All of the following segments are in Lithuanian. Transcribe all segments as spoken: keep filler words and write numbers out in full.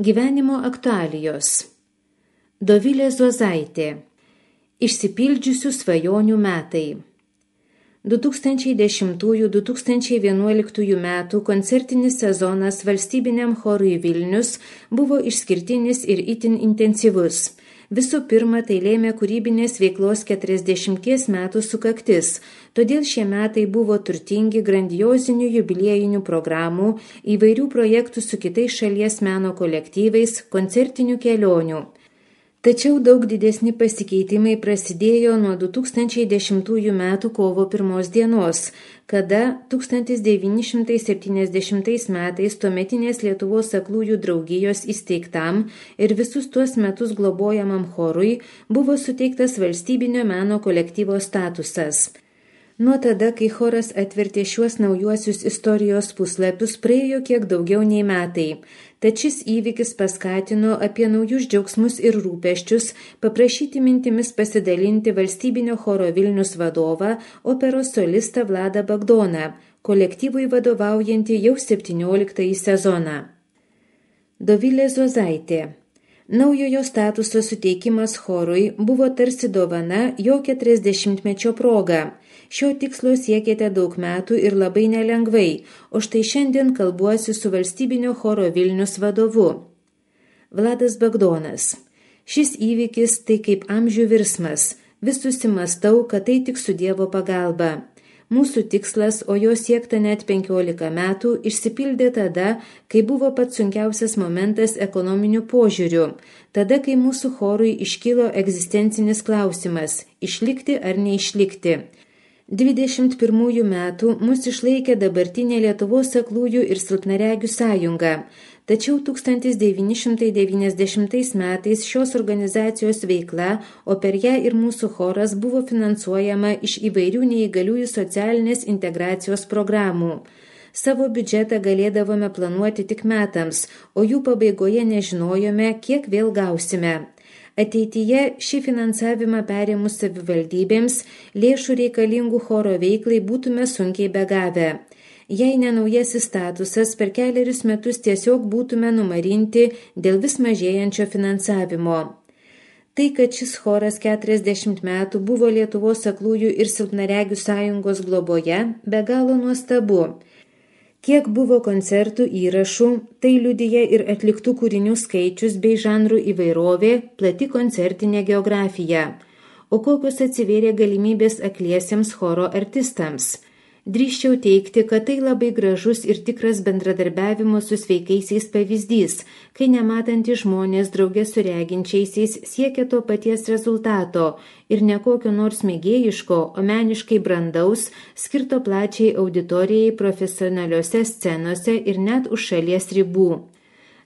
Gyvenimo aktualijos. Dovilė Zuozaitė. Išsipildžiusių svajonių metai. du tūkstančiai dešimtų - du tūkstančiai vienuoliktų metų koncertinis sezonas valstybiniam chorui Vilnius buvo išskirtinis ir itin intensyvus. Visų pirma, tai lėmė kūrybinės veiklos keturiasdešimties metų sukaktis, todėl šie metai buvo turtingi grandiozinių jubiliejinių programų, įvairių projektų su kitais šalies meno kolektyvais, koncertinių kelionių. Tačiau daug didesni pasikeitimai prasidėjo nuo du tūkstančiai dešimtų metų kovo pirmos dienos, kada tūkstantis devyni šimtai septyniasdešimtais metais tuometinės Lietuvos aklųjų draugijos įsteigtam ir visus tuos metus globojamam chorui buvo suteiktas valstybinio meno kolektyvo statusas. Nuo tada, kai choras atvertė šiuos naujuosius istorijos puslapius, praėjo kiek daugiau nei metai. Tad šis įvykis paskatino apie naujus džiaugsmus ir rūpesčius paprašyti mintimis pasidalinti valstybinio choro Vilnius vadovą, operos solistą Vladą Bagdoną, kolektyvui vadovaujantį jau septynioliktąjį sezoną. Dovilė Zuozaitė. Naujojo statuso suteikimas chorui buvo tarsi dovana jo keturiasdešimtmečio proga. Šio tikslo siekėte daug metų ir labai nelengvai, o štai šiandien kalbuosi su valstybinio choro Vilnius vadovu. Vladas Bagdonas. Šis įvykis tai kaip amžių virsmas. Vis susimastau, kad tai tik su Dievo pagalba. Mūsų tikslas, o jo siekta net penkiolika metų, išsipildė tada, kai buvo pats sunkiausias momentas ekonominiu požiūriu. Tada, kai mūsų chorui iškilo egzistencinis klausimas – išlikti ar neišlikti. dvidešimt pirmųjų metų mus išlaikė dabartinė Lietuvos aklųjų ir silpnaregių sąjunga. Tačiau tūkstantis devyni šimtai devyniasdešimtais metais šios organizacijos veikla, o per ją ir mūsų choras buvo finansuojama iš įvairių neįgaliųjų socialinės integracijos programų. Savo biudžetą galėdavome planuoti tik metams, o jų pabaigoje nežinojome, kiek vėl gausime. Ateityje šį finansavimą perėmus savivaldybėms, lėšų reikalingų choro veiklai būtume sunkiai begavę. Jei ne naujasis statusas, per keliarius metus tiesiog būtume numarinti dėl vis mažėjančio finansavimo. Tai, kad šis choras keturiasdešimt metų buvo Lietuvos aklųjų ir silpnaregių sąjungos globoje, be galo nuostabu. Kiek buvo koncertų įrašų, tai liudija ir atliktų kūrinių skaičius bei žanrų įvairovė, plati koncertinė geografija. O kokios atsivėrė galimybės akliesiems choro artistams? Drįsčiau teikti, kad tai labai gražus ir tikras bendradarbiavimo su sveikaisiais pavyzdys, kai nematantys žmonės drauge su reginčiaisiais siekia to paties rezultato ir ne kokio nors mėgėjiško, o meniškai brandaus, skirto plačiai auditorijai profesionaliose scenose ir net už šalies ribų.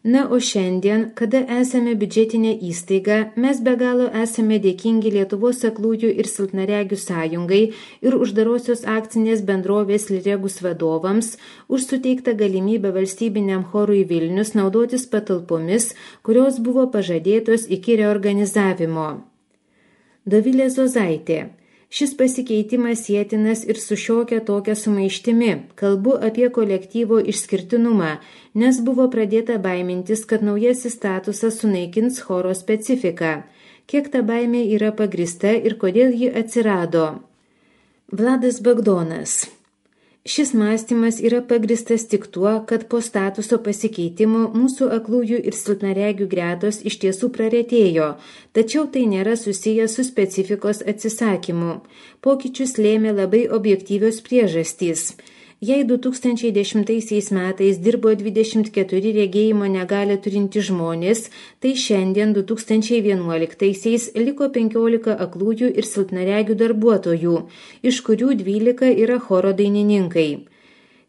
Na, o šiandien, kada esame biudžetinė įstaiga, mes be galo esame dėkingi Lietuvos aklųjų ir silpnaregių sąjungai ir uždarosios akcinės bendrovės Liregus vadovams už suteiktą galimybę valstybiniam chorui Vilnius naudotis patalpomis, kurios buvo pažadėtos iki reorganizavimo. Dovilė Zuozaitė. Šis pasikeitimas sietinas ir su šiokia tokia sumaištimi. Kalbu apie kolektyvo išskirtinumą, nes buvo pradėta baimintis, kad naujasis statusas sunaikins choro specifiką. Kiek ta baimė yra pagrįsta ir kodėl ji atsirado? Vladas Bagdonas. Šis mąstymas yra pagrįstas tik tuo, kad po statuso pasikeitimo mūsų aklųjų ir silpnaregių gretos iš tiesų praretėjo, tačiau tai nėra susiję su specifikos atsisakymu. Pokyčius lėmė labai objektyvios priežastys. Jei du tūkstančiai dešimtaisiais metais dirbo dvidešimt keturi regėjimo negalią turinti žmonės, tai šiandien du tūkstančiai vienuoliktaisiais liko penkiolika aklųjų ir silpnaregių darbuotojų, iš kurių dvylika yra choro dainininkai.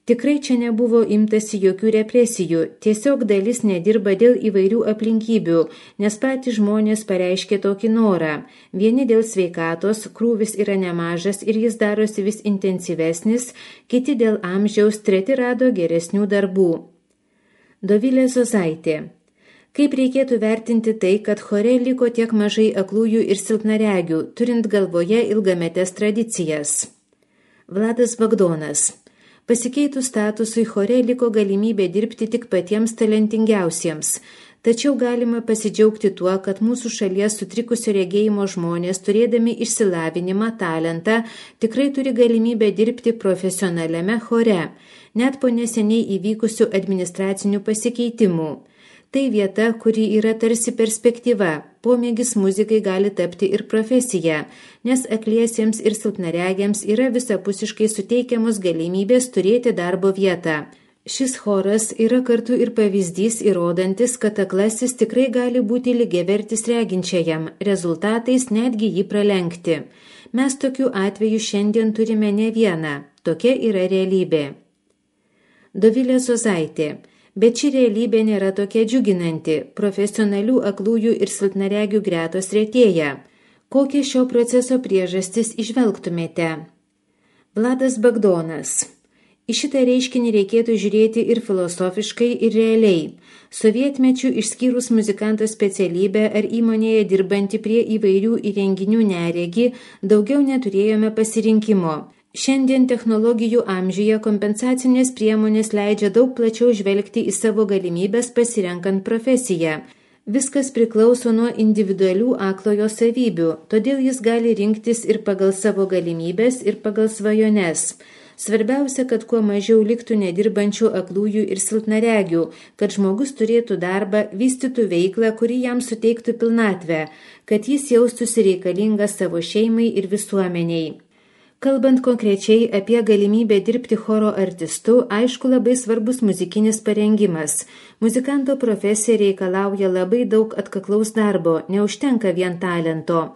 Tikrai čia nebuvo imtasi jokių represijų, tiesiog dalis nedirba dėl įvairių aplinkybių, nes patys žmonės pareiškė tokį norą. Vieni dėl sveikatos, krūvis yra nemažas ir jis darosi vis intensyvesnis, kiti dėl amžiaus, treti rado geresnių darbų. Dovilė Zuozaitė. Kaip reikėtų vertinti tai, kad chore liko tiek mažai aklųjų ir silpnaregių, turint galvoje ilgametes tradicijas? Vladas Bagdonas. Pasikeitus statusui chore liko galimybė dirbti tik patiems talentingiausiems. Tačiau galima pasidžiaugti tuo, kad mūsų šalies sutrikusio regėjimo žmonės, turėdami išsilavinimą, talentą, tikrai turi galimybę dirbti profesionaliame chore, net po neseniai įvykusių administracinių pasikeitimų. Tai vieta, kuri yra tarsi perspektyva, pomėgis muzikai gali tapti ir profesija, nes akliesiems ir silpnaregiams yra visapusiškai suteikiamos galimybės turėti darbo vietą. Šis choras yra kartu ir pavyzdys įrodantis, kad aklasis tikrai gali būti lygiavertis reginčiajam, rezultatais netgi jį pralenkti. Mes tokių atvejų šiandien turime ne vieną, tokia yra realybė. Dovilė Zozaitė. Bet ši realybė nėra tokia džiuginanti, profesionalių aklųjų ir silpnaregių gretos retėja. Kokią šio proceso priežastis įžvelgtumėte? Vladas Bagdonas. Į šitą reiškinį reikėtų žiūrėti ir filosofiškai, ir realiai. Sovietmečių išskyrus muzikanto specialybę ar įmonėje dirbantį prie įvairių įrenginių neregį, daugiau neturėjome pasirinkimo. Šiandien technologijų amžiuje kompensacinės priemonės leidžia daug plačiau žvelgti į savo galimybės pasirenkant profesiją. Viskas priklauso nuo individualių aklojo savybių, todėl jis gali rinktis ir pagal savo galimybės, ir pagal svajones. Svarbiausia, kad kuo mažiau liktų nedirbančių aklųjų ir silpnaregių, kad žmogus turėtų darbą, vystytų veiklą, kuri jam suteiktų pilnatvę, kad jis jaustųsi reikalingas savo šeimai ir visuomeniai. Kalbant konkrečiai apie galimybę dirbti choro artistu, aišku labai svarbus muzikinis parengimas. Muzikanto profesija reikalauja labai daug atkaklaus darbo, neužtenka vien talento.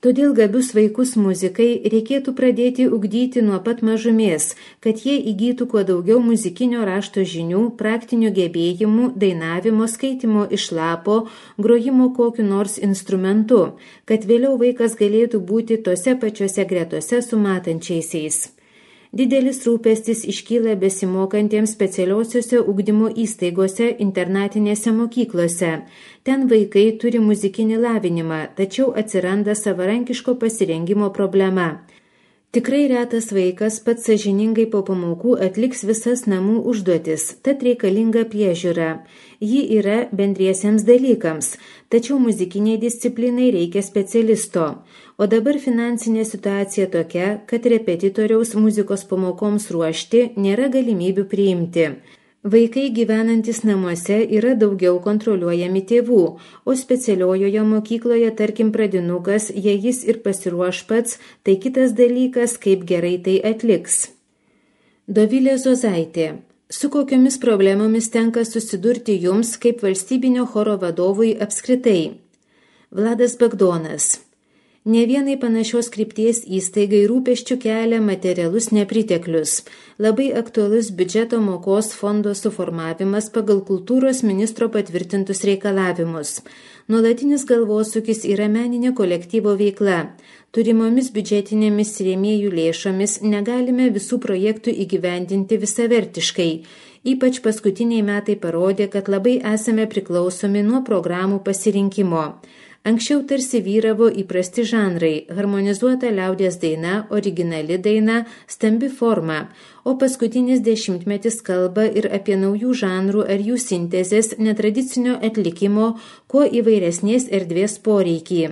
Todėl gabius vaikus muzikai reikėtų pradėti ugdyti nuo pat mažumės, kad jie įgytų kuo daugiau muzikinio rašto žinių, praktinių gebėjimų, dainavimo, skaitimo iš lapo, grojimo kokiu nors instrumentu, kad vėliau vaikas galėtų būti tose pačiose gretose su matančiaisiais. Didelis rūpestis iškyla besimokantiems specialiosiuose ugdymo įstaigose, internatinėse mokyklose. Ten vaikai turi muzikinį lavinimą, tačiau atsiranda savarankiško pasirengimo problema. Tikrai retas vaikas pats sąžiningai po pamokų atliks visas namų užduotis, tad reikalinga priežiūra. Ji yra bendriesiems dalykams, tačiau muzikiniai disciplinai reikia specialisto. O dabar finansinė situacija tokia, kad repetitoriaus muzikos pamokoms ruošti nėra galimybių priimti. Vaikai gyvenantis namuose yra daugiau kontroliuojami tėvų, o specialiojoje mokykloje, tarkim, pradinukas, jei jis ir pasiruoš pats, tai kitas dalykas, kaip gerai tai atliks. Dovilė Zozaitė. Su kokiomis problemomis tenka susidurti jums kaip valstybinio choro vadovui apskritai? Vladas Bagdonas. Ne vienai panašios krypties įstaigai rūpesčių kelia materialus nepriteklius. Labai aktualus biudžeto mokos fondo suformavimas pagal kultūros ministro patvirtintus reikalavimus. Nuolatinis galvosūkis yra meninė kolektyvo veikla. Turimomis biudžetinėmis rėmėjų lėšomis negalime visų projektų įgyvendinti visavertiškai. Ypač paskutiniai metai parodė, kad labai esame priklausomi nuo programų pasirinkimo. Anksčiau tarsi vyravo įprasti žanrai – harmonizuota liaudies daina, originali daina, stambi forma, o paskutinis dešimtmetis kalba ir apie naujų žanrų ar jų sintezės netradicinio atlikimo, kuo įvairesnės erdvės poreikį.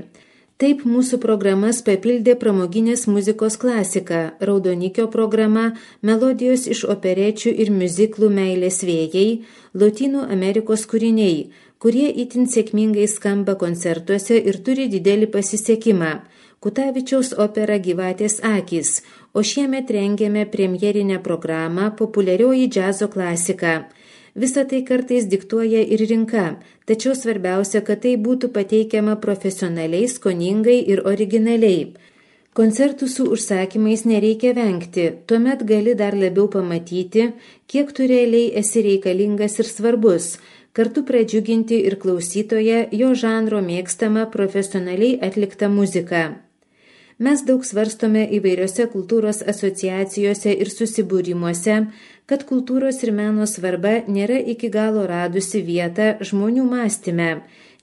Taip mūsų programas papildė pramoginės muzikos klasika, Raudonikio programa, melodijos iš operečių ir miuziklų Meilės vėjai, Lotynų Amerikos kūriniai, kurie itin sėkmingai skamba koncertuose ir turi didelį pasisekimą. Kutavičiaus opera Gyvatės akys, o šiemet rengėme premjerinę programą Populiarioji džiazo klasika. Visa tai kartais diktuoja ir rinka, tačiau svarbiausia, kad tai būtų pateikiama profesionaliai, skoningai ir originaliai. Koncertų su užsakymais nereikia vengti, tuomet gali dar labiau pamatyti, kiek tu realiai esi reikalingas ir svarbus, kartu pradžiuginti ir klausytoją jo žanro mėgstamą profesionaliai atliktą muziką. Mes daug svarstome įvairiose kultūros asociacijose ir susibūrimuose, kad kultūros ir meno svarba nėra iki galo radusi vietą žmonių mąstyme,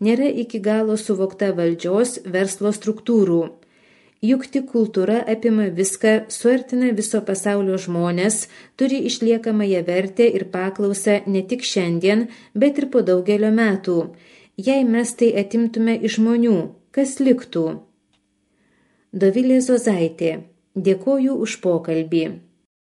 nėra iki galo suvokta valdžios, verslo struktūrų. Juk tik kultūra apima viską, suartina viso pasaulio žmonės, turi išliekamąją vertę ir paklausą ne tik šiandien, bet ir po daugelio metų. Jei mes tai atimtume iš žmonių, kas liktų? Dovilė Zozaitė. Dėkoju už pokalbį.